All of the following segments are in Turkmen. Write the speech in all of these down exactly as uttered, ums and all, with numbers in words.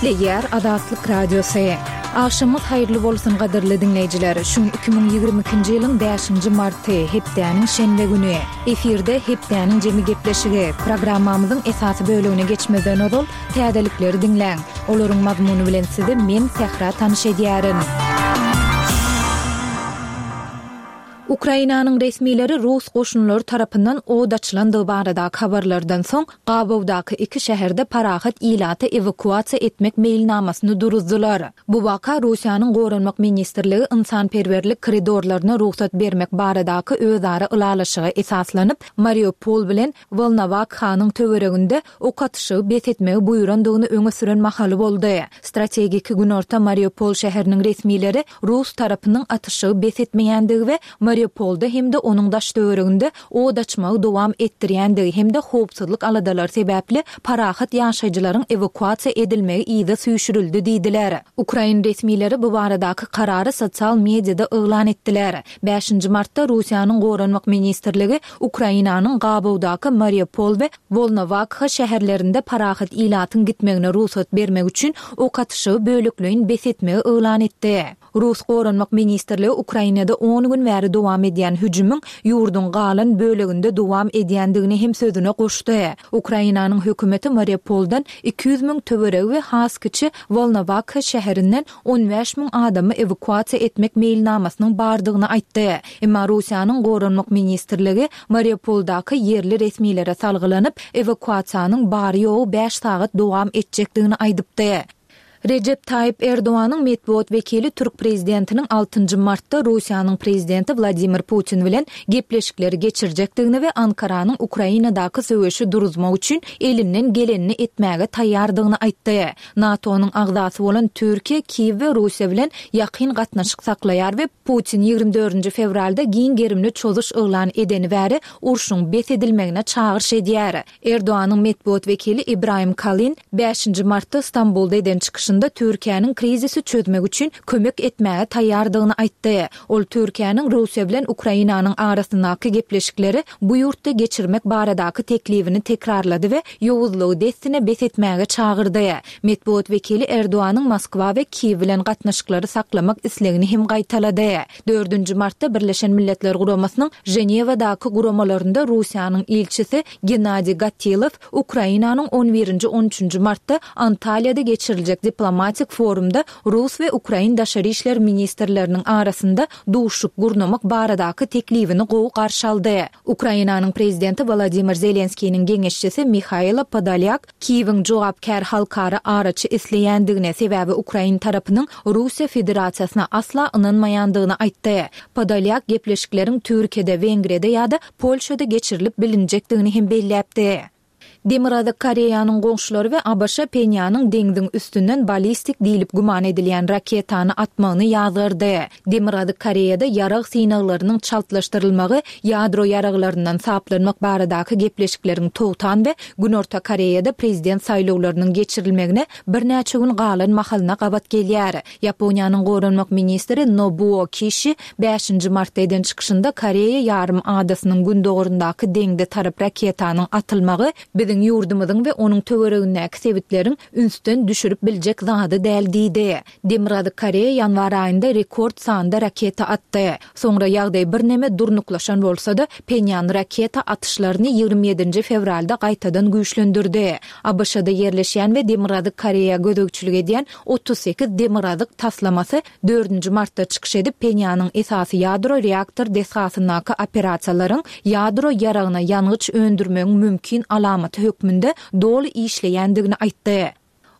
Gepleýär Azatlyk Radiosy. Agşamyňyz haýyrly bolsun gadyrly diňleýjiler. Şu gün iki müň ýigrimi ikinji ýylyň bäşinji marty, hepdäniň şenbe güni. Efirde Hepdäniň jemi gepleşigi. Programmamyzyň esasy bölegine geçmezden ozal, täzelikleri diňläň. Olaryň mazmuny bilen sizi men Sähra tanyş edýärin. Ukrainanyň resmileri rus goşunlary tarapyndan od açylandygy baradaky habarlardan soň, gabawdaky iki şäherde parahat ilaty ewakuasiýa etmek meýilnamasyny duruzdylar. Bu waka Russiýanyň Goranmak ministrligi ynsanperwerlik koridorlaryna rugsat bermek baradaky özara ylalaşyga esaslanyp, Mariupol bilen Wolnowakhanyň töwereginde ok atyşygy bes etmegi buýrandygyny öňe süren mahaly boldy. Strategiki günorta Mariupol şäheriniň resmileri rus tarapynyň atyşygy bes etmeýändigi we Mariupolda hem-de onuň daş-töwereginde od açmagy dowam etdirýändigi hem-de howpsuzlyk aladalary sebäpli parahat ýaşaýjylaryň ewakuasiýa edilmegi yza süýşürildi diýdiler. Ukrain resmileri bu baradaky karary sosial mediada yglan etdiler. Bäşinji martda Russiýanyň Goranmak ministrligi Ukrainanyň gabawdaky Mariupol we Wolnowakha şäherlerinde parahat ilatyň gitmegine rugsat bermek üçin ok atyşygy bölekleýin bes etmegi yglan etdi. Rus Goranmak ministrligi Ukrainada on gün bäri dowam edýän hüjümiň ýurduň galan böleginde dowam edýändigini hem sözüne goşdy. Ukrainanyň hökümeti Mariupoldan iki ýüz müň töweregi we has kiçi Wolnowakha şäherinden on bäş müň adamy ewakuasiýa etmek meýilnamasynyň bardygyny aýtdy. Emma Russiýanyň Goranmak ministrligi Mariupoldaky ýerli resmilere salgylanyp, ewakuasiýanyň bary-ýogy bäş sagat dowam etjekdigini aýdypdy. Rejep Taýyp Erdoganyň metbugat wekili türk prezidentiniň altynjy martda Russiýanyň prezidenti Wladimir Putin bilen gepleşikleri geçirjekdigini we Ankaranyň Ukrainadaky söweşi duruzmak üçin elinden gelenini etmäge taýýardygyny aýtdy. NATO-nyň agzasy bolan Türkiýe Kiýew we Russiýa bilen ýakyn gatnaşyk saklaýar we Putin ýigrimi dördünji fewralda giň gerimli çozuş yglan edeni bäri urşuň bes edilmegine çagyryş edýär. Erdoganyň metbugat wekili Ibrahim Kalyn bäşinji martda Stambulda eden çykyşynda Türkiýäniň krizisi çözmek üçin kömek etmäge taýýardygyny aýtdy. Ol Türkiýäniň Russiýa bilen Ukrainanyň arasyndaky gepleşikleri bu ýurtda geçirmek baradaky teklibini tekrarlady we ýowuzlygy dessine bes etmäge çagyrdy. Metbugat wekili Erdoganyň Moskwa we Kiýew bilen gatnaşyklary saklamak islegini hem gaýtalady. Dördünji martda Birleşen Milletler Guramasynyň Ženewadaky guramalarynda Russiýanyň ilçisi Gennadiý Gatilow Ukrainanyň on birinji on üçünji martda Antalýada geçiriljek diplomatik forumda rus we ukrain daşary işler ministrleriniň arasynda duşuşyk gurnamak baradaky teklibini gowy garşy aldy. Ukrainanyň prezidenti Wolodymyr Zelenskiniň geňeşçisi Mihailo Podolýak Kiýewiň jogapkär halkara araçy isleýändigini, sebäbi ukrain tarapynyň Russiýa Federasiýasyna asla ynanmaýandygyny aýtdy. Podolýak gepleşikleriň Türkiýede, Wengriýada ýa-da Polşada geçirilip bilinjekdigini hem belläpdi. Demirgazyk Koreýanyň goňşulary we A B Ş Phenýanyň deňziň üstünden ballistik diýlip güman edilýän raketany atmagyny ýazgardy. Demirgazyk Koreýada ýarag synaglarynyň çaltlaşdyrylmagy ýadro ýaraglaryndan saplanmak baradaky gepleşikleriň togtan we Günorta Koreýada prezident saýlawlarynyň geçirilmegine birnäçe gün galan mahalyna gabat gelýär. Ýaponiýanyň goranmak ministri Nobuo Kişi bäşinji martda eden çykyşynda Koreýa ýarym adasynyň gündogaryndaky deňze tarap raketanyň atylmagy biziň ýurdumyzyň we onuň töweregindäki sebitleriň ünsden düşürip biljek zady däl diýdi. Demirgazyk Koreýa ýanwar aýynda rekord sanda raketa atdy. Soňra ýagdaý birneme durnuklaşan bolsa-da, Phenýan raketa atyşlaryny ýigrimi ýedinji fewralda gaýtadan güýçlendirdi. A B Ş-da ýerleşýän we Demirgazyk Koreýa gözegçilik edýän otuz sekiz demirgazyk taslamasy dördünji martda çykyş edip, Phenýanyň esasy ýadro reaktor desgasyndaky operasiýalaryň ýadro ýaragyna ýangyç öndürmegiň mümkin alamaty hökmünde doly işleýändigini aýtdy.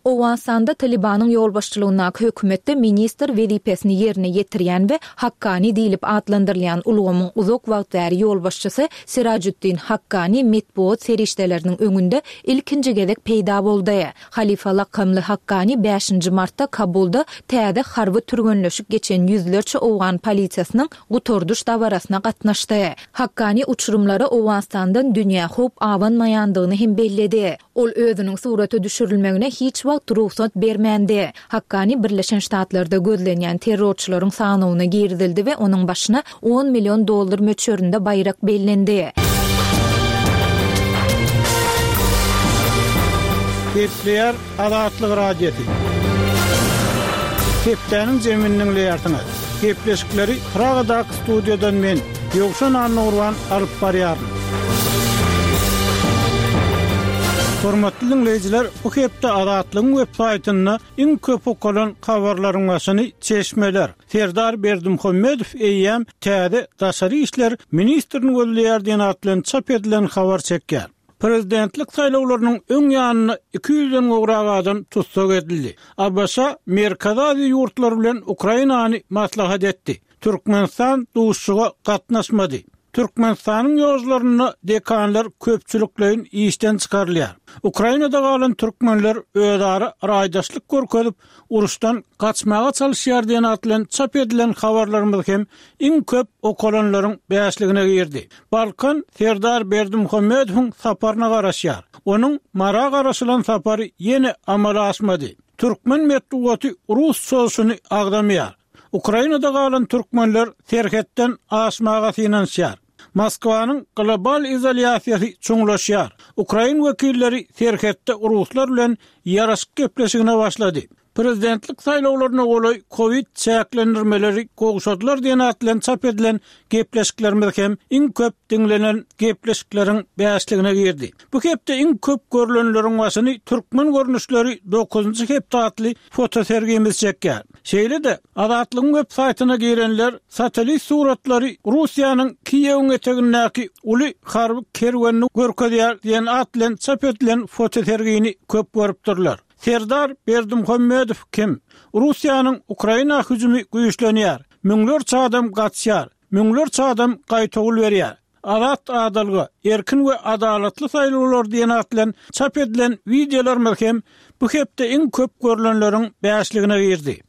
Owganystanda Talibanyň ýolbaşçylygyndaky hökümetde ministr wezipesini ýerine ýetirýän we Hakkani diýlip atlandyrylýan ulgamyň uzak wagt bäri ýolbaşçysy Sirajuddin Hakkani metbugat serişdeleriniň öňünde ilkinji gezek peýda boldy. Halifa lakamly Hakkani bäşinji martda Kabulda täze harby türgenleşik geçen ýüzlerçe owgan polisiýasynyň gutardyş dabarasyna gatnaşdy. Hakkani uçurymlara Owganystandan dünýä howp abanmaýandygyny hem belledi. Ol özüniň surata düşürilmegine hiç wagt rugsat bermändi. Hakkani Birleşen Ştatlarda gözlenýän terrorçylaryň sanawyna girizildi we onuň başyna on million dollar möçberinde baýrak bellendi. Gepleýär Azatlyk Radiosy. Hepdäniň jemini diňleýärsiňiz. Gepleşikleri Pragadaky studiýadan men, Ýowşan Annagurban alyp barýaryn. Hormatly dinleýjiler, bu hepde Azatlygyň web saýtynda iň köp okalan habarlaryň başyny çeşmeler. Serdar Berdimuhamedow eýýäm täze daşary işler ministrini gözleýär diýen at bilen çap edilen habar çekýär. Prezidentlik saýlawlarynyň öň ýanynda iki ýüzden gowrak adam tussag edildi. A B Ş Merkezi Aziýa ýurtlary bilen Ukrainany maslahat etdi. Türkmenistan duşuşyga gatnaşmady. Türkmenistanyň ýollarynda dekanlar köpçülikleýin işden çykarylýar. Ukrainada galan türkmenler özara raýdaşlyk görkezip, uruşdan gaçmaga çalışýar diýen at bilen çap edilen habarlarymyz hem iň köp okalanlaryň bäşligine girdi. Balkan Serdar Berdimuhamedowyň saparyna garaşýar. Onuň Mara garaşylan sapary ýene amala aşmady. Türkmen metbugaty rus çozuşyny agzamaýar. Ukrainada galan türkmenler serhetden aşmaga synanyşýar. Moskwanyň global izolýasiýasy çuňlaşýar. Ukrain wekilleri serhetde ruslar bilen ýaraşyk gepleşigine başlady. Prezidentlik saýlawlaryna golaý Covid çäklendirmeleri gowşadylar diýen at bilen çap edilen gepleşiklerimiz hem iň köp diňlenen gepleşikleriň bäşligine girdi. Bu hepde iň köp görülenleriň başyny türkmen görnüşleri dokuzynjy hepde atly fotosergimiz çekýär. Şeýle-de Azatlygyň web saýtyna girenler satellit suratlary Russiýanyň Kiýewiň etegindäki uly harby kerwenini görkezýär diýen at bilen çap edilen fotosergini köp görüpdirler. Serdar Berdimuhamedow kim? Russiýanyň Ukraina hüjümi güýçlenýär. Müňlerçe adam gaçýar. Müňlerçe adam gaýtawul berýär. Azat adalga, erkin we adalatly saýlawlar diýen at bilen çap edilen wideolarymyz hem bu hepde iň köp görülenleriň bäşligine girdi.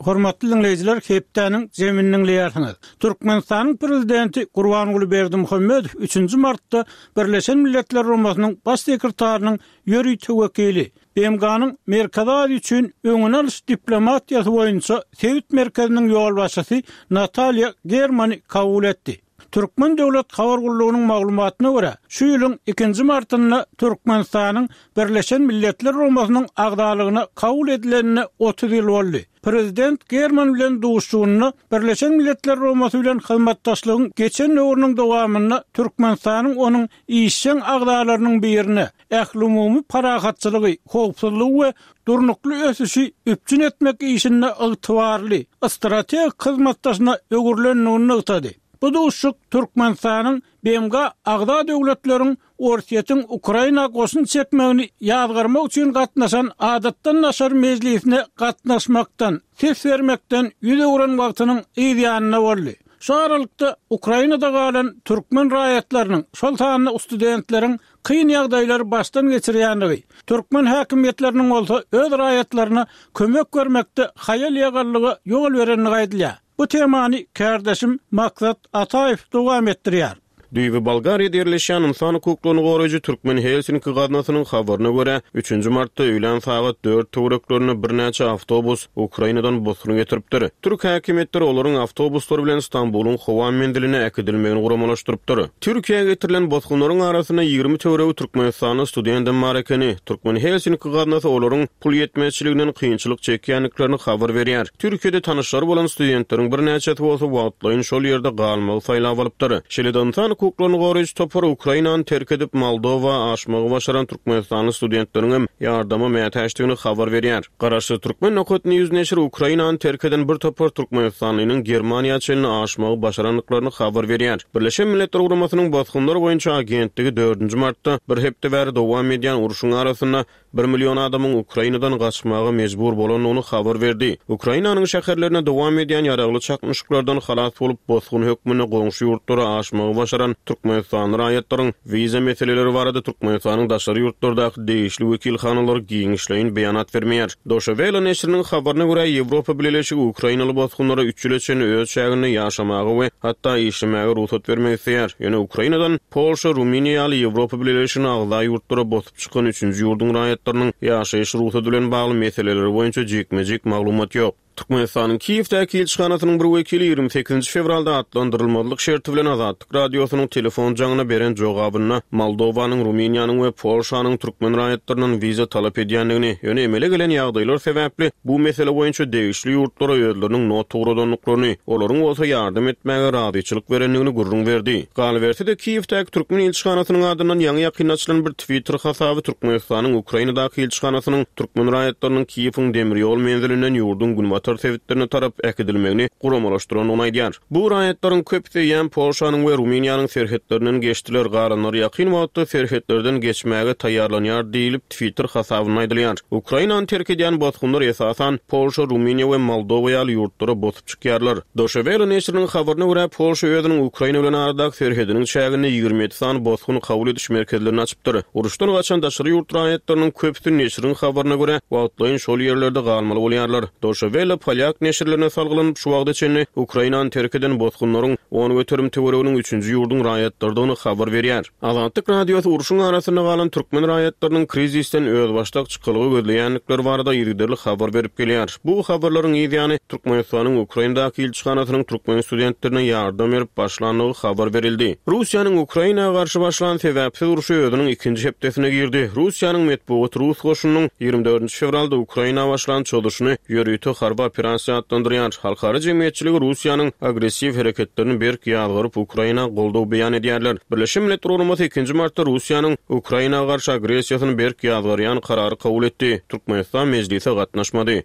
Hormatly dinleýjiler, hepdäniň jemini diňleýärsiňiz. Türkmenistanyň prezidenti Gurbanguly Berdimuhamedow üçünji martda Birleşen Milletler Guramasynyň baş sekretarynyň ýörite wekili, B M G-nyň Merkezi Aziýa üçin öňüni alyş diplomatiýasy boýunça sebit merkeziniň ýolbaşçysy Natalýa Germany kabul etdi. Türkmen Döwlet Habar Gullugynyň maglumatyna görä, şu ýylyň ikinji martynda Türkmenistanyň Birleşen Milletler Guramasynyň agzalygyna kabul edilenine otuz ýyl boldy. Prezident German bilen duşuşygynda Birleşen Milletler Guramasy bilen hyzmatdaşlygyň geçen döwrüniň dowamynda Türkmenistanyň onuň işjeň agzalarynyň birine ählumumy parahatçylygy, howpsuzlygy we durnukly ösüşi üpjün etmek işinde ygtybarly strategik hyzmatdaşyna öwrülendigini nygtady. Bu duşuşyk Türkmenistanyň B M G agza döwletleriň Orsýetiň Ukraina goşun çekmegini ýazgarmak üçin gatnaşan adatdan daşary mejlisine gatnaşmakdan, ses bermekden ýüz öwren wagtynyň yz ýanynda boldy. Şu aralykda Ukrainada galan türkmen raýatlarynyň, şol sanda studentleriň kyn ýagdaýlary başdan geçirýändigi, türkmen häkimiýetleriniň bolsa öz raýatlaryna kömek bermekde haýal ýagallyga ýol berendigi aýdylýar. Bu temany kardeşim Maksat Ataýew dowam etdirýär. Düýbi Bolgariýada ýerleşýän insan hukuklaryny goraýjy Türkmen Helsinki gaznasynyň habaryna görä, üçünji martda öýlän sagat dört töwereklerinde birnäçe awtobus Ukrainadan bosgun getiripdir. Türk häkimiýetleri olaryň awtobuslary bilen Stambulyň howa menziline äkidilmegini guramalaşdyrypdyr. Türkiýä getirilen bosgunlaryň arasynda ýigrimi töweregi Türkmenistanda studentim bar ekeni. Türkmen Helsinki gaznasy olaryň pul ýetmezçiliginden kynçylyk çekýändiklerini habar berýär. Türkiýede tanyşlary bolan studentleriň birnäçesi bolsa wagtlaýyn şol ýerde galmagy saýlap alypdyr. Şeýle-de insan hukuklaryny goraýjy topary Ukrainany terk edip Moldowa aşmagy başaran Türkmenistanly studentleriň hem ýardama mätäçdigini habar berýär. Garaşsyz Türkmen Nokat News neşiri Ukrainany terk eden bir topar Türkmenistanlynyň Germaniýa çenli aşmagy başarandyklaryny habar berýär. Birleşen Milletler Guramasynyň bosgunlar boýunça agentligi dördünji martda bir hepde bäri dowam edýän urşuň arasynda bir million adamyň Ukrainadan gaçmaga mejbur bolandygyny habar berdi. Ukrainanyň şäherlerine dowam edýän ýaragly çaknyşyklardan halas bolup bosgun hökmünde goňşy ýurtlara aşmagy başaran Türkmenistanly raýatlaryň wiza meseleleri barada Türkmenistanyň daşary ýurtlardaky degişli wekilhanalary giňişleýin beýanat bermeýär. Deutsche Welle neşiriniň habaryna görä, Ýewropa Bileleşigi Ukrainaly bosgunlara üç ýyla çenli öz çäginde ýaşamaga we hatda işlemäge rugsat bermek isleýär. Ýöne Ukrainadan Polşa, Rumyniýa ýaly Ýewropa Bileleşigine agza ýurtlara bosup çykan üçünji ýurduň raýatlarynyň ýaşaýyş rugsady bilen bagly meseleleri boýunça jikme-jik maglumat ýok. Türkmenistanyň Kiýewdäki ilçihanasynyň bir wekili ýigrimi sekizinji fewralda atlandyrylmazlyk şerti bilen Azatlyk Radiosynyň telefon jaňyna beren jogabynda Moldowanyň, Rumyniýanyň we Polşanyň türkmen raýatlaryndan wiza talap edýändigini, ýöne emele gelen ýagdaýlar sebäpli bu mesele boýunça degişli ýurtlara özleriniň not ugradandyklaryny, olaryň bolsa ýardam etmäge razyçylyk berendigini gürrüň berdi. Galyberse-de, Kiýewdäki türkmen ilçihanasynyň adyndan ýaňy-ýakynda açylan bir Twitter hasaby Türkmenistanyň Ukrainadaky ilçihanasynyň türkmen raýatlarynyň Kiýewiň demir ýol menzilinden ýurduň günbatar sebitlerine tarap äkidilmegini guramalaşdyrandygyny aýdýar. Bu raýatlaryň köpüsi eýýäm Polşanyň we Rumyniýanyň serhetlerinden geçdiler, galanlary ýakyn wagtda serhetlerden geçmäge taýýarlanýar diýlip, Twitter hasabynda aýdylýar. Ukrainany terk edýän bosgunlar esasan Polşa, Rumyniýa we Moldowa ýaly ýurtlara bosup çykýarlar. Deutsche Welle neşiriniň habaryna görä, Polşa özüniň Ukraina bilen aradaky serhediniň çäginde ýigrimi ýedi sany bosgun kabul ediş merkezlerini açypdyr. Uruşdan gaçan daşary ýurt raýatlarynyň köpüsi neşiriň habaryna görä, wagtlaýyn şol ýerlerde galmaly bolýarlar. Deutsche Welle polýak neşirlerine salgylanyp, şu wagta çenli Ukrainany terk eden bosgunlaryň on göterim töwereginiň üçünji ýurduň raýatlarydygyny habar berýär. Azatlyk Radiosy urşuň arasynda galan türkmen raýatlarynyň krizisden özbaşdak çykalga gözleýändikleri barada yzygiderli habar berip gelýär. Bu habarlaryň yz ýany Türkmenistanyň Ukrainadaky ilçihanasynyň türkmen studentlerine ýardam berip başlandygy habar berildi. Russiýanyň Ukraina garşy başlan sebäpsiz urşy özüniň ikinji hepdesine girdi. Russiýanyň metbugat rus goşunynyň ýigrimi dördünji fewralda Ukraina başlan çozuşyny ýörite harby operasiýa atlandyrýar. Halkara jemgyýetçiligi Russiýanyň agressiw hereketlerini berk ýazgaryp Ukraina goldaw beýan edýärler. Birleşen Milletler Guramasy ikinji martda Russiýanyň Ukraina garşy agressiýasyny berk ýazgarýan karary kabul etdi. Türkmenistan mejlise gatnaşmady.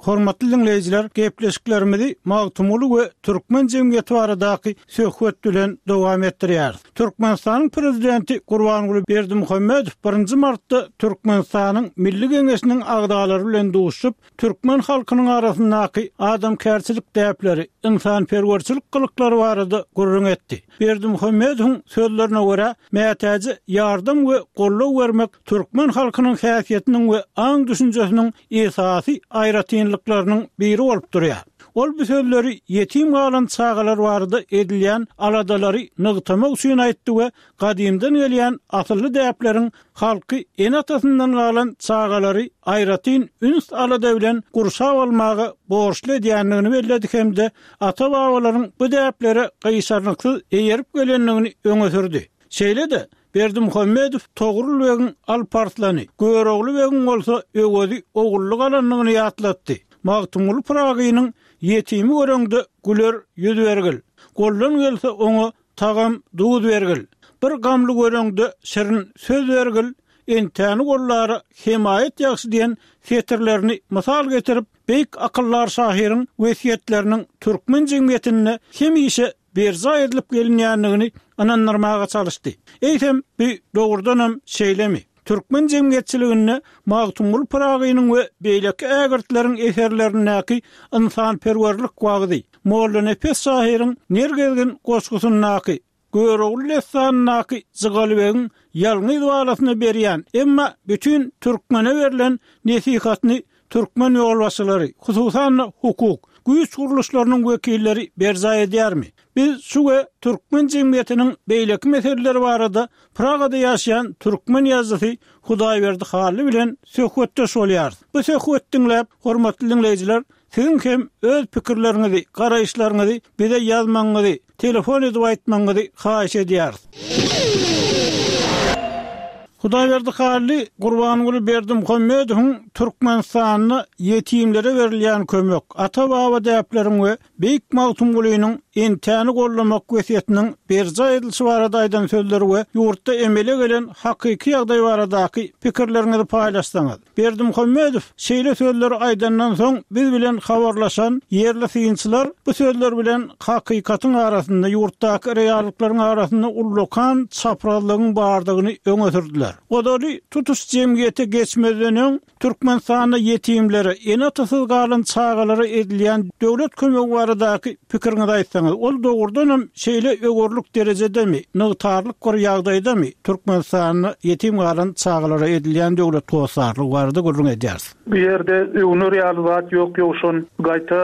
Hormatly dinleýjiler, gepleşiklerimizi Magtymguly we türkmen jemgyýeti baradaky söhbet bilen dowam etdirýäris. Türkmenistanyň prezidenti Gurbanguly Berdimuhamedow birinji martda Türkmenistanyň Milli Geňeşiniň agzalary bilen duşup, türkmen halkynyň arasyndaky adamkärçilik däpleri, insanperwerçilik gylyklary barada gürrüň etdi. Berdimuhamedowyň sözlerine görä, mätäje ýardam we goldaw bermek türkmen halkynyň häsiýetiniň we aň düşünjesiniň esasy aýratynlyklarynyň biri bolup durýar. Ol bu sözleri ýetim galan çagalar barada edilýän aladalary nygtamak üçin aýtdy we gadymdan gelýän asylly däpleriň halky ene-atasyndan galan çagalary aýratyn üns alada bilen gurşap almaga borçly edýändigini belledi hem-de ata-babalaryň bu däplere gyşarnyksyz eýerip gelendigini öňe sürdi. Şeýle-de Berdimuhamedow Togrul begiň Alparslany, Görogly begiň bolsa Öwezi ogully galandygyny ýatlatdy. Magtymguly Pyragynyň ýetimi göreňde güler ýüz bergil, goldan gelse oňa tagam duz bergil, bir gamly göreňde şirin söz bergil, entäni gollara hemaýat ýagşy diýen setirlerini mysal getirip, beýik akyllar şahyryň wesýetleriniň türkmen jemgyýetinde hemişe berjaý edilip gelinýändigini ynandyrmaga çalyşdy. Eýsem, bu dogrudanam şeýlemi? Türkmen jemgyýetçiliginde Magtymguly Pyragynyň we beýleki ägirtleriň eserlerindäki insanperwerlik wagzy, Mollanepes şahyryň Nergezgin goşgusyndaky, Görogly dessanyndaky Jygalybegiň ýalňyz balasyna berýän, emma bütün türkmene berlen nesihatyny türkmen ýolbaşçylary, hususan-da hukuk, güýç gurluşlarynyň wekilleri berjaý edýärmi? Biz şu we türkmen jemgyýetiniň beýleki meseleleri barada Pragada ýaşaýan türkmen ýazyjysy Hudaýberdi Hally bilen söhbetdeş bolýarys. Bu söhbet diňläp, hormatly dinleýjiler, siziň hem öz pikirleriňizi, garaýyşlaryňyzy bize ýazmagyňyzy, telefon edip aýtmagyňyzy haýyş edýäris. Hudaýberdi Hally Gurbanguly Berdimuhamedowyň Türkmenistanda ýetimlere berilýän kömek, ata-baba däpleriň we Beýik Magtymgulynyň entäni gollamak wesýetiniň berjaý edilişi barada aýdan sözleri we ýurtda emele gelen hakyky ýagdaý baradaky pikirleriňizi paýlaşsaňyz. Berdimuhamedow şeýle sözleri aýdandan soň biz bilen habarlaşan ýerli synçylar bu sözler bilen hakykatyň arasynda ýurtdaky reallyklaryň arasynda ullakan çaprazlygyň bardygyny öňe sürdüler. Ozaly tutuş jemgyýete geçmezden öň Türkmenistanda ýetimlere, ene-atasyz galan çagalara edilýän döwlet kömegi baradaky pikiriňizi aýtsaňyz, ol dogrudanam şeýle öwürlik derejedemi, nygtarlyk bir ýagdaýdamy Türkmenistanda ýetim galan çagalara edilýän döwlet hossarlygy barada gürrüň edýäris. Bu ýerde öwünür ýaly zat ýok, ýowşan gaýta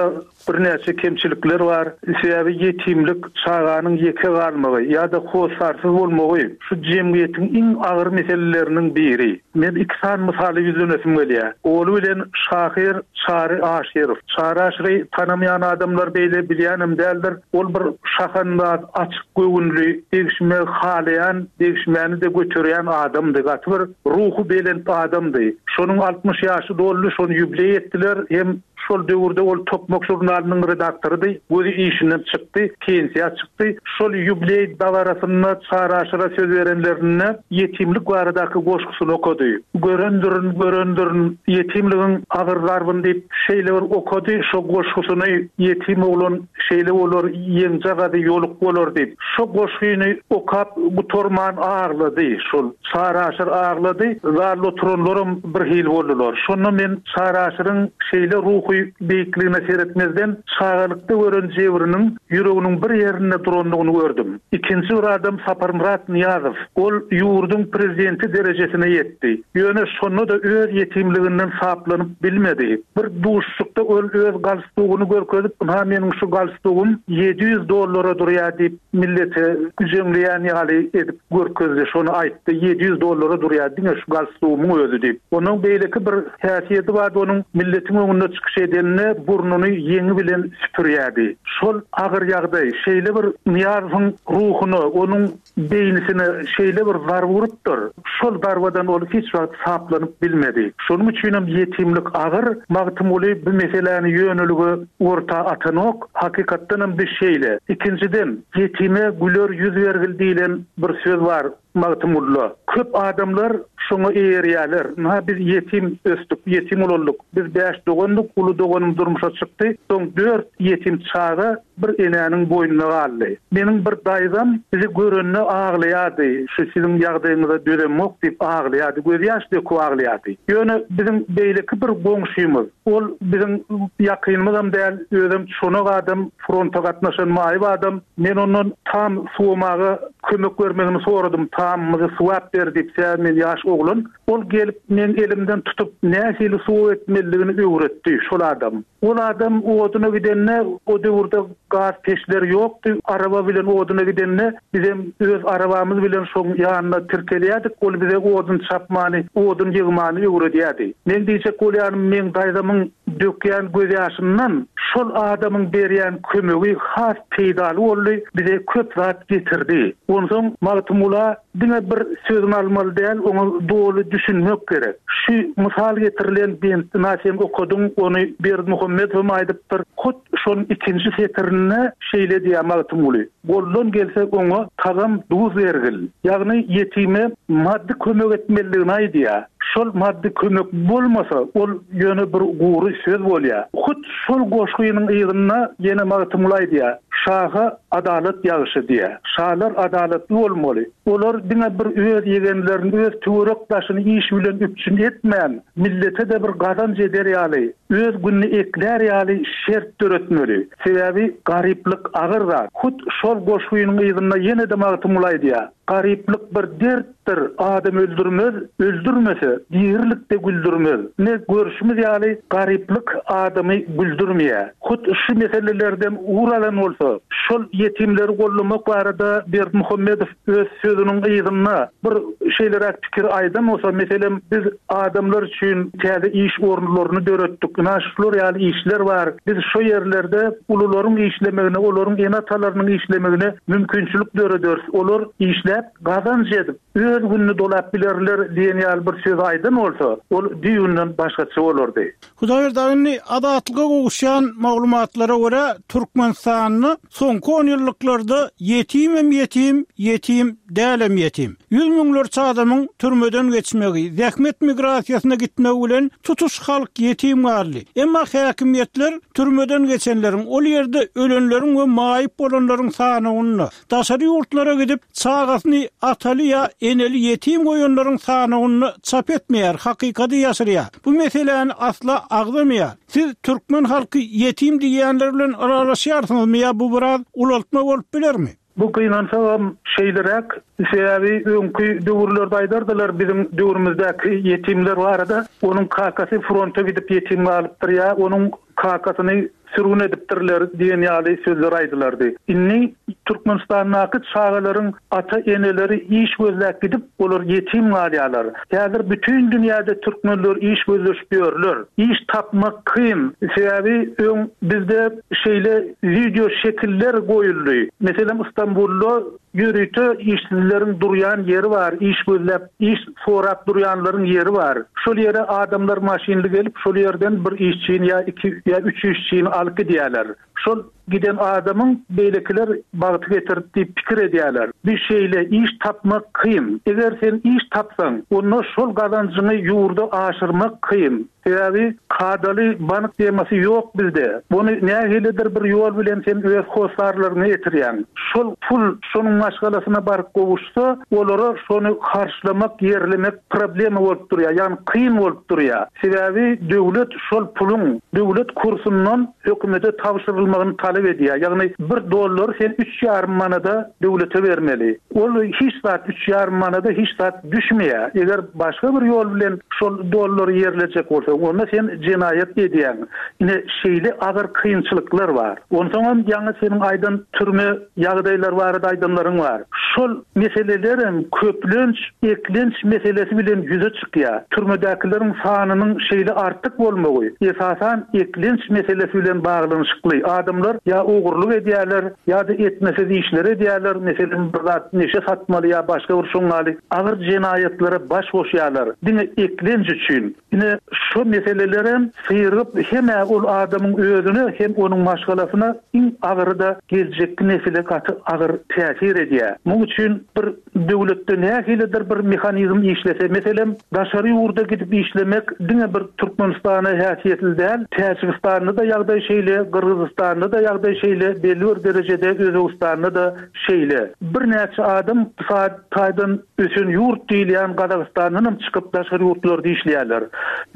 Birnäçe kemçilikler bar. Sebäbi ýetimlik, çaganyň ýeke galmagy ýa-da hossarsyz bolmagy şu jemgyýetiň iň agyr meseleleriniň biri. Men iki sany mysaly ýüzlenesim gelýär. Oly bilen şahyr Çary Aşyrow. Çary Aşyry tanamaýan adamlar beýle bilýänem däldir. Ol bir şahandaz, açyk göwünli, degişme halaýan, degişmäni-de göterýän adamdy. Gaty bir ruhy belent adamdy. Şonuň altmyş ýaşy doldy, şony ýubileý etdiler. Hem şol döwürde ol Tokmak žurnalynyň redaktorydy. Gözi işinden çykdy, pensiýa çykdy. Şol ýubileý dabarasynda Çary Aşyra söz berenlerinde ýetimlik baradaky goşgusyny okady. Görendirin, görendirin, ýetimligiň agyr zarbyny diýip şeýle bir okady, şo goşgusyny ýetim oglan şeýle bolar, ýeňjagazy ýoluk bolar diýip. Şo goşgyny okap gutarman aglady. Şol Çary Aşyr aglady, zalda oturanlaram bir hil boldular. Şonda men Çary Aşyryň şeýle ruhy beýikligine seretmezden çagalykda gören jebriniň ýüreginiň bir ýerinde durandygyny gördüm. Ikinji bir adam Saparmyrat Nyýazow. Ol ýurduň prezidenti derejesine ýetdi. Ýöne şonda-da öz ýetimliginden saplanyp bilmedi. Bir duşuşykda ol öz galstugyny görkezip, "Ynha meniň şu galstugym ýedi ýüz dollara durýar" diýip millete güjeňleýän ýaly edip görkezdi. Şony aýtdy, ýedi ýüz dollara durýar diňe şu galstugymyň özi diýip. Onuň beýleki bir häsiýeti bardy, onuň milletiň öňünde çykyş edenine burnuny ýeňi bilen süpürýärdi. Şol agyr ýagdaý şeýle bir Nyýazowyň ruhuna, onuň beýnisine şeýle bir zarba urupdyr. Şol zarbadan ol hiç wagt saplanyp bilmedi. Şonuň üçin hem ýetimlik agyr. Magtymguly bu meseläni ýönelige orta atanok. Hakykatdan hem bir şeýle. Ikinjiden, ýetime güler ýüz bergil diýlen bir söz bar Magtymgulyda. Köp adamlar şoňa eýerýärler. Ynha biz ýetim ösdük, ýetim ulaldyk. Biz bäş dogandyk, uly doganym durmuşa çykdy. Soň dört ýetim çaga bir enäniň boýnuna galdy. Meniň bir daýzam bizi görende aglaýardy. Şu siziň ýagdaýyňyza dözemok diýip aglaýardy. Göz ýaş döküp aglaýardy. Ýöne biziň beýleki bir goňşymyz, ol biziň ýakynymyzam däl, özem çonak adam, fronta gatnaşan maýyp adam. Men ondan tam suwamaga kömek bermegini soradym. Tamymyzy suwap ber diýip, sebäbi men ýaş oglan. Ol gelip men elimden tutup nähili suw etmelidigini öwretdi şol adam. Ol adam oduna gidende o döwürde gaz peçleri ýokdy. Araba bilen oduna gidende bizem öz arabamyz bilen şoň ýanyna tirkelýärdik. Ol bize odun çapmany, odun ýygmany öwredýärdi. Men diýjek bolýanym, men daýzamyň dökýän göz ýaşyndan şol adamyň berýän kömegi has peýdaly boldy, bize köp zat getirdi. Onsoň Magtymgula diňe bir sözüni almaly däl, oňa doly düşünmek gerek. Şu mysal getirilen bentini sen okadyň, ony Berdimuhamedowam aýdypdyr. Hut şonuň ikinji setirinde şeýle diýýär Magtymguly: Goldan gelse oňa tagam duz bergil. Ýagny ýetime maddy kömek etmelidigini aýdýar. Şol maddy kömek bolmasa, ol ýöne bir gury söz bolýar. Hut şol goşgynyň ýygynda ýene Magtymguly aýdýar: Şaha adalat ýagşy diýär. Şalar adalatly bolmaly. Olar diňe bir öz ýegenlerini, öz töwerek daşyny iş bilen üpjün etmän, millete de bir gazanç eder ýaly, öz gününi eklär ýaly şert döretmeli. Sebäbi garyplyk agyr zat. Hut şol goşgynyň ýygynda ýene de Magtymguly aýdýar: Garyplyk bir dertdir, adam öldürmez, öldürmese dirilikde güldürmez. Ne görüşimiz ýaly garyplyk adamy güldürmeýär. Hut şu meselelerden ugur alan bolsa, şol ýetimleri gollamak barada Berdimuhamedow öz sözüniň ýygynda bir şeýleräk pikir aýdan bolsa, meselem biz adamlar üçin täze iş orunlaryny döretdik. Ina şular ýaly işler bar. Biz şu ýerlerde ulularyň işlemegine, olaryň ene-atalarynyň işlemegine mümkinçilik dörederis. Olar işläp gazanç edip öz gününi dolap bilerler diýen ýaly bir söz aýdan bolsa, ol düýbünden başgaça bolardy. Hudaýberdi aga, Azatlyga gowuşýan maglumatlara görä Türkmenistanda soňky on ýyllyklarda ýetimem ýetim, ýetim dälem ýetim. Ýüz müňlerçe adamyň türmeden geçmegi, zähmet migrasiýasyna gitmegi bilen tutuş halk ýetim galdy. Emma häkimiýetler türmeden geçenleriň, ol ýerde ölenleriň we maýyp bolanlaryň sanyny daşary ýurtlara gidip çagasyny ataly ýa eneli ýetim goýanlaryň sanyny çap etmeýär, hakykady ýaşyrýar. Bu meseläni asla agzamaýar. Siz türkmen halky ýetim diýenler bilen aralaşýarsyňyzmy ýa bu biraz ulaltma bolup bilermi? Bu gynansagam şeýleräk, sebäbi öňki döwürlerde aýdardylar biziň döwrümizdäki ýetimler barada, onuň kakasy fronta gidip ýetim galypdyr ýa onuň kakasyny sürgün edipdirler diýen ýaly sözler aýdylardy. Indi Türkmenistandaky çagalaryň ata-eneleri iş gözläp gidip, olar ýetim galýarlar. Häzir bütün dünýäde türkmenler iş gözleşip ýörler. Iş tapmak kyn. Sebäbi öň bizde şeýle video şekiller goýuldy. Meselem Istanbulda ýörite işsizleriň durýan ýeri bar, iş gözläp, iş sorap durýanlaryň ýeri bar. Şol ýere adamlar maşynly gelip, şol ýerden bir işçini ýa iki ýa üç işçini alyp gidýärler. Şol giden adamyň beýlekiler bagty getirdi diýip pikir edýärler. Bir şeýle iş tapmak kyn. Eger sen iş tapsaň, onda şol gazanjyňy ýurda aşyrmak kyn. Sebäbi kadaly bank temasy ýok bizde. Bunu nähilidir bir ýol bilen sen öz hossarlaryňy getirýäň. Şol pul şonuň maşgalasyna baryp gowuşsa, olara şony harçlamak, ýerlemek problema bolup durýar, ýagny kyn bolup durýar. Sebäbi döwlet şol puluň döwlet kursundan hökümete tabşyrylmagyny talap edýär. Ýagny bir dollar sen üç ýarym manada döwlete bermeli. Ol hiç zat üç ýarym manada hiç zat düşmeýär. Eger başga bir ýol bilen şol dollary ýerlejek bolsa, onda sen jenaýat edýäň. Ine şeýle agyr kynçylyklar bar. Onsoň ýaňy seniň aýdan türme ýagdaýlar barada aýdanlaryň bar. Şol meselelerem köplenç eklenç meselesi bilen ýüze çykýar. Türmedäkileriň sanynyň şeýle artyk bolmagy, esasan eklenç meselesi bilen baglanyşykly. Adamlar ýa ogurlyk edýärler, ýa-da etmesiz işler edýärler. Meselem bir zat neşe satmaly ýa başga bir şoňňaly agyr jenaýatlara baş goşýarlar. Diňe eklenç üçin. Ine şu meselelerem syryp hem ol adamyň özüne hem onuň maşgalasyna iň agyry da geljekki nesile gaty agyr täsir edýär. Muň üçin bir döwletde nähilidir bir mehanizm işlese, meselem daşary ýurda gidip işlemek diňe bir Türkmenistana häsiýetli däl, Täjigistanda da ýagdaý şeýle, Gyrgyzystanda da ýagdaý şeýle, belli bir derejede Özbegistanda da şeýle. Birnäçe adam saat taýdan ösen ýurt diýilýän Gazagystandan hem çykyp daşary ýurtlarda işleýärler.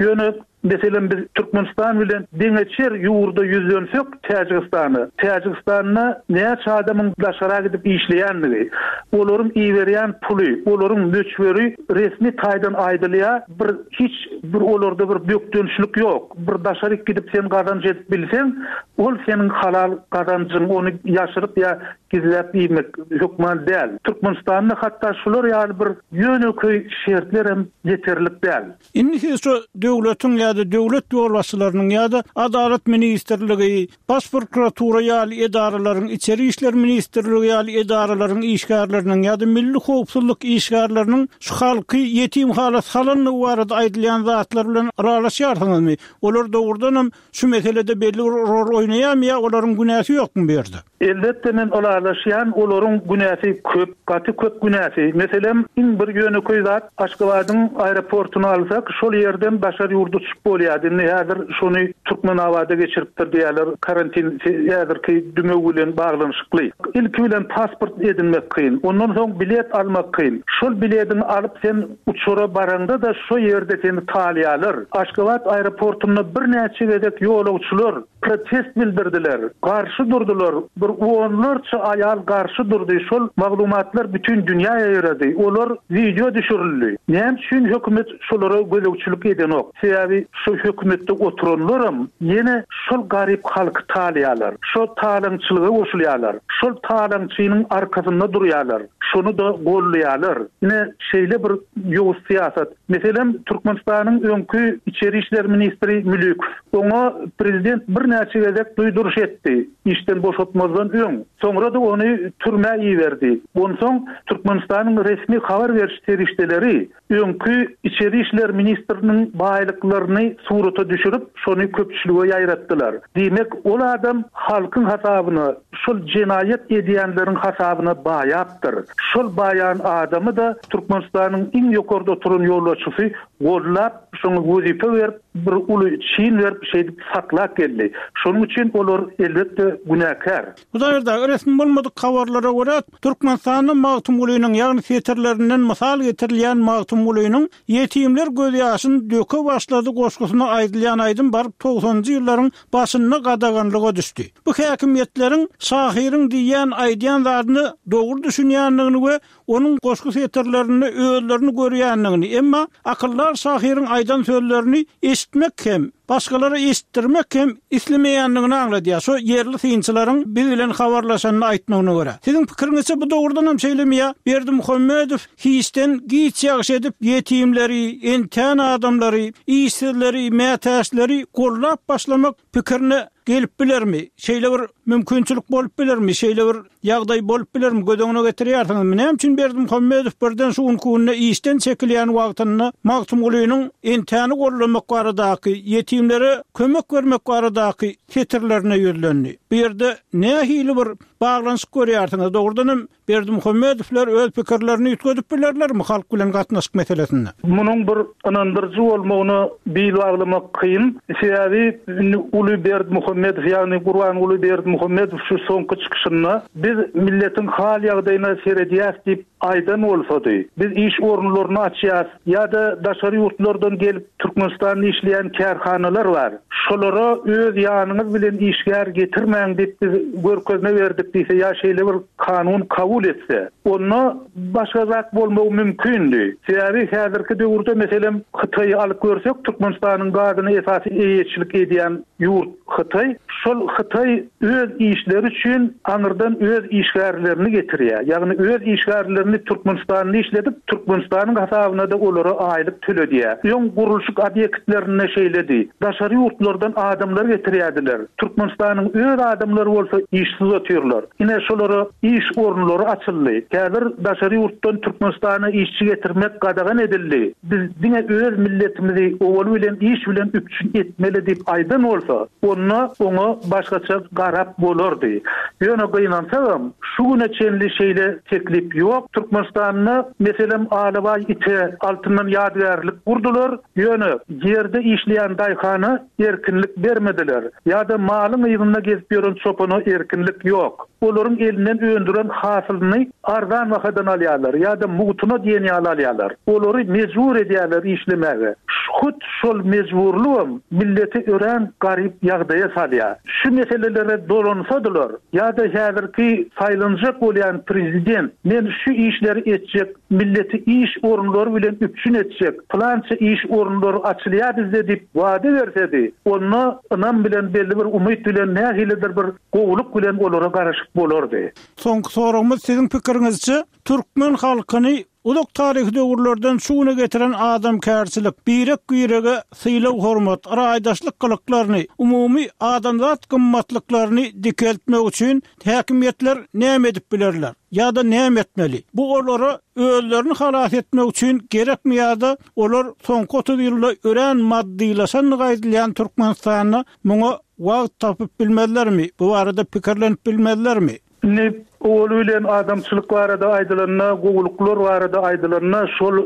Ýöne meselem biz Türkmenistan bilen deňeçer ýurda ýüzlensek Täjigistana. Täjigistanda näçe adamyň daşara gidip işleýänligi, olaryň iberýän puly, olaryň möçberi resmi taýdan aýdylýar. Bir hiç bir olarda bir bökdençlik ýok. Bir daşary gidip sen gazanç edip bilseň, ol seniň halal gazanjyň, ony ýaşyryp ýa gizläp iýmek hökman däl. Türkmenistanda hatda şular ýaly bir ýönekeý şertler hem ýeterlik däl. Indi siz şu döwletiň ýa-da döwlet ýolbaşçylarynyň ýa-da Adalat ministrligi, Baş prokuratura ýaly edaralaryň, Içeri işler ministrligi ýaly edaralaryň işgärleriniň ýa-da milli howpsuzlyk işgärleriniň şu halky ýetim hala salanlygy barada aýdylýan zatlar bilen ylalaşýarsyňyzmy? Olar dogrudan hem şu meselede belli bir rol oýnaýarmy ýa olaryň günäsi ýokmy bu ýerde? Elbetde men ylalaşýan, olaryň günäsi köp, gaty köp günäsi. Meselem, iň bir ýönekeý zat Aşgabadyň aeroportuny alsak, şol ýerden daşary ýurda uçup bolýar. Indi häzir şony Türkmenabada geçiripdir diýerler, karantin häzirki dümew bilen baglanyşykly. Ilki bilen pasport edinmek kyn, ondan soň bilet almak kyn. Şol biletini alyp sen uçara baranda da şo ýerde seni talýarlar. Aşgabat aeroportunda birnäçe gezek ýolagçylar protest bildirdiler, garşy durdular. Bir onlarça aýal garşy durdy. Şol maglumatlar bütün dünýä ýaýrady. Olar video düşürildi. Näme üçin hökümet şolara gözegçilik edenok? Sebäbi şu hökümetde oturanlaram ýene şol garyp halky talýarlar. Şo talaňçylyga goşulýarlar. Şol talaňçynyň arkasynda durýarlar. Şonu da gollaýarlar. Ine şeýle bir ýowuz syýasat. Meselem, Türkmenistanyň öňki Içeri işler ministri Mülükow. Oňa prezident birnäçe gezek duýduryş etdi. Işden boşatmazdan öň. Soňra da ony türmä iberdi. Onsoň Türkmenistanyň resmi habar beriş serişdeleri öňki Içeri işler ministriniň baýlyklaryny surata düşürip, şony köpçülige ýaýratdylar. Diýmek, ol adam halkyň hasabyna, şol jenaýat edýänleriň hasabyna baýapdyr. Şol baýan adamy da Türkmenistanyň iň ýokarda oturan ýolbaşçysy gollap, şoňa wezipe berip, bir uly çin berip, şeýdip saklap geldi. Şonuň üçin olar elbetde günäkär. Hudaýda resmi bolmadyk habarlara görä Türkmenistanyň Magtymgulynyň ýagny setirlerinden mysal getirilýän Magtymgulynyň ýetimler gözýaşyny döke başlady goşgusyna aýdylýan aýdym baryp togsanjy ýyllaryň başynda gadaganlyga düşdi. Bu häkimiýetleriň şahyryň diýýän aýdýan zadyny dogry düşünýändigini we onuň goşgy setirlerini özlerini görýändigini, emma akyllar şahyryň aýdan sözlerini eşitmek hem başgalara eşitdirmek hem islemeýändigini aňladýar. Şu ýerli synçylaryň biz bilen habarlaşanyny aýtmagyna görä. Siziň pikiriňizçe bu dogrudan hem şeýlemi ýa Berdimuhamedow hiçden giç ýagşy edip ýetimleri, entän adamlary, işsizleri, mätäçleri gollap başlamak pikirine gelip bilermi? Şeýle bir mümkinçilik bolup bilermi? Şeýle bir ýagdaý bolup bilermi? Göz öňüne getirýärsiňizmi? Näme üçin Berdimuhamedow birden şu günki işden çekilýän wagtynda Magtymgulynyň entäni gollamak baradaky, ýetimlere kömek bermek baradaky setirlerine ýüzlendi. Bu ýerde nähili bir baglanyşyk görýärsiňiz? Dogrudan hem Berdimuhamedowlar öz pikirlerini üýtgedip bilerlermi halk bilen gatnaşyk meselesinde? Munuň bir ynandyryjy bolmagyna bil baglamak kyn. Sebäbi indi uly Berdimuhamedow, ýagny Gurbanguly Berdimuhamedow şu soňky çykyşynda biz milletiň hal ýagdaýyna seredýäs diýip aýdan bolsady, biz iş orunlaryny açýas ýa-da daşary ýurtlardan gelip Türkmenistanda işleýän kärhanalar bar. Şolara öz ýanyňyz bilen işgär getirmäň diýip biz görkezme berdik diýse ýa şeýle bir kanun kabul etse, onda başga zat bolmagy mümkindi. Sebäbi häzirki döwürde meselem Hytaýy alyp görsek, Türkmenistanyň gazyny esasy eýeçilik edýän ýurt Hytaý. Şol Hytaý öz işleri üçin aňyrdan öz işgärlerini getirýär. Ýagny öz işgärlerini Türkmenistanda işledip, Türkmenistanyň hasabyna da olara aýlyk töledýär. Öň gurluşyk obýektlerinde şeýledi. Daşary ýurtlardan adamlar getirýärdiler. Türkmenistanyň öz adamlary bolsa işsiz otyrlar. Ine şolara iş orunlary açyldy. Häzir daşary ýurtdan Türkmenistana işçi getirmek gadagan edildi. Biz diňe öz milletimizi owal bilen iş bilen üpjün etmeli diýip aýdan bolsa, onda oňa başgaça garap bolardy. Ýöne gynansagam, şu güne çenli şeýle teklip ýok. Türkmenistanda meselem Alabaý ite altyndan ýadygärlik gurdular. Ýöne ýerde işleýän daýhana erkinlik bermediler. Ýa-da malyň ýygynda gezip ýören çopana erkinlik ýok. Olaryň elinden öndüren hasylyny arzan bahadan alýarlar ýa-da mugtuna diýen ýaly alýarlar. Olary mejbur edýärler işlemäge. Hut şol mejburlygam milleti örän garyp ýagdaýa salýar. Şu meselelere dolansadylar ýa-da häzirki saýlanjak bolýan prezident men şu işleri etjek, milleti iş orunlary bilen üpjün etjek, plança iş orunlary açylýar bizde diýip wada bersedi, onda ynam bilen belli bir umyt bilen nähilidir bir gowulyk bilen olara garaşyp bolardy. Soňky soragymyz siziň pikiriňizçe türkmen halkyny uzak taryhy döwürlerden şu güne getiren adamkärçilik, birek-birege sylag hormat, raýdaşlyk gylyklaryny, umumy adamzat gymmatlyklaryny dikeltmek üçin häkimiýetler näme edip bilerler ýa-da näme etmeli? Bu olara özlerini halas etmek üçin gerekmi ýa-da olar soňky otuz ýylda örän maddylaşan aýdylýan Türkmenistanda muňa wagt tapyp bilmezlermi? Bu barada pikirlenip bilmezlermi? Indi owaly bilen adamçylyk barada aýdylanda, gowulyklar barada aýdylanda şol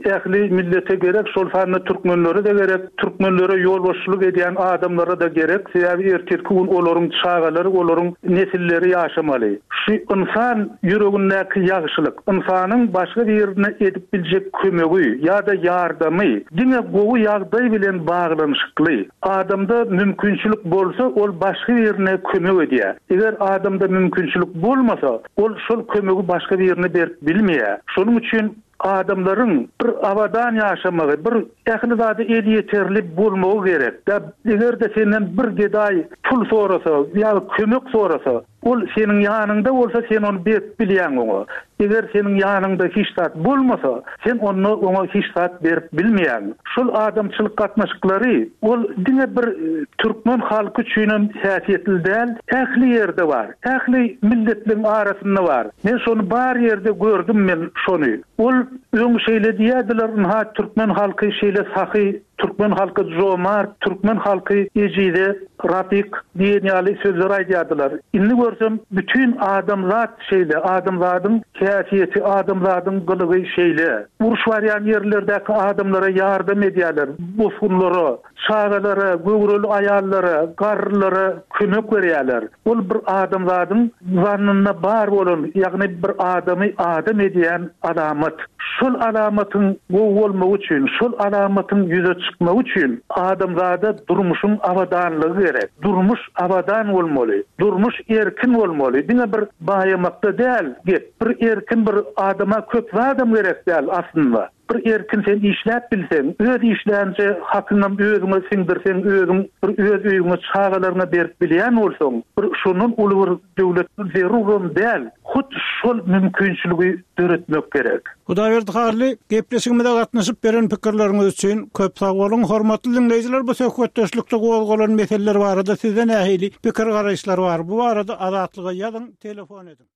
ähli millete gerek, şol sanda türkmenlere de gerek, türkmenlere ýolbaşçylyk edýän adamlara da gerek. Sebäbi ertirki gün olaryň çagalary, olaryň nesilleri ýaşamaly. Şu insan ýüregindäki ýagşylyk, insanyň başga birine edip biljek kömegi ýa-da ýardamy diňe gowy ýagdaý bilen baglanyşykly. Adamda mümkinçilik bolsa, ol başga birine kömek edýär. Eger adamda mümkinçilik bolmasa, ol şol kömegi başga birine berip bilmeýär. Şonuň üçin adamlaryň bir abadan ýaşamagy, bir ähli zady elýeterli bolmagy gerek. Eger de senden bir gedaý pul sorasa ýa kömek sorasa, ol seniň ýanyňda bolsa sen ony berip bilýäň oňa. Eger seniň ýanyňda hiç zat bolmasa, sen onda oňa hiç zat berip bilmeýäň. Şol adamçylyk gatnaşyklary ol diňe bir türkmen halky üçin hem häsiýetli däl, ähli ýerde bar. Ähli milletleriň arasynda bar. Men şony bar ýerde gördüm men şony. Ol öň şeýle diýerdiler, "Nha türkmen halky şeýle sahy, türkmen halky jomart, türkmen halky ejize, rapik" diýen ýaly sözler aýdýardylar. Indi görsem bütün adamzat şeýle, adamzadyň häsiýeti, adamzadyň gylygy şeýle. Uruş barýan ýerlerdäki adamlara ýardam edýärler, bosgunlara, çagalara, göwreli aýallara, garrylara kömek berýärler. Ol bir adamzadyň zannynda bar bolan, ýagny bir adamy adam edýän alamat. Şol alamatyň gowy bolmagy üçin, şol alamatyň ýüze çykmagy üçin adamzada durmuşyň abadanlygy gerek. Durmuş abadan bolmaly, durmuş erkin bolmaly. Diňe bir baýamakda däl, gep. Bir erkin bir adama köp zadam gerek däl aslynda. Bir erkin sen işläp bilseň, öz işlänje hakyňam özüňe siňdirseň, özüň bir öz öýüňe, çagalaryňa berip bilýän bolsaň, bir şondan uly bir döwlet zeruram däl. Hut şol mümkinçiligi döretmek gerek. Hudaýberdi Hally, gepleşigimize gatnaşyp beren pikirleriňiz üçin köp sag boluň. Hormatly diňleýjiler, bu söhbetdeşlikde gozgalan meseleler barada sizde nähili pikir-garaýyşlar bar? Bu barada Azatlyga ýazyň, telefon ediň.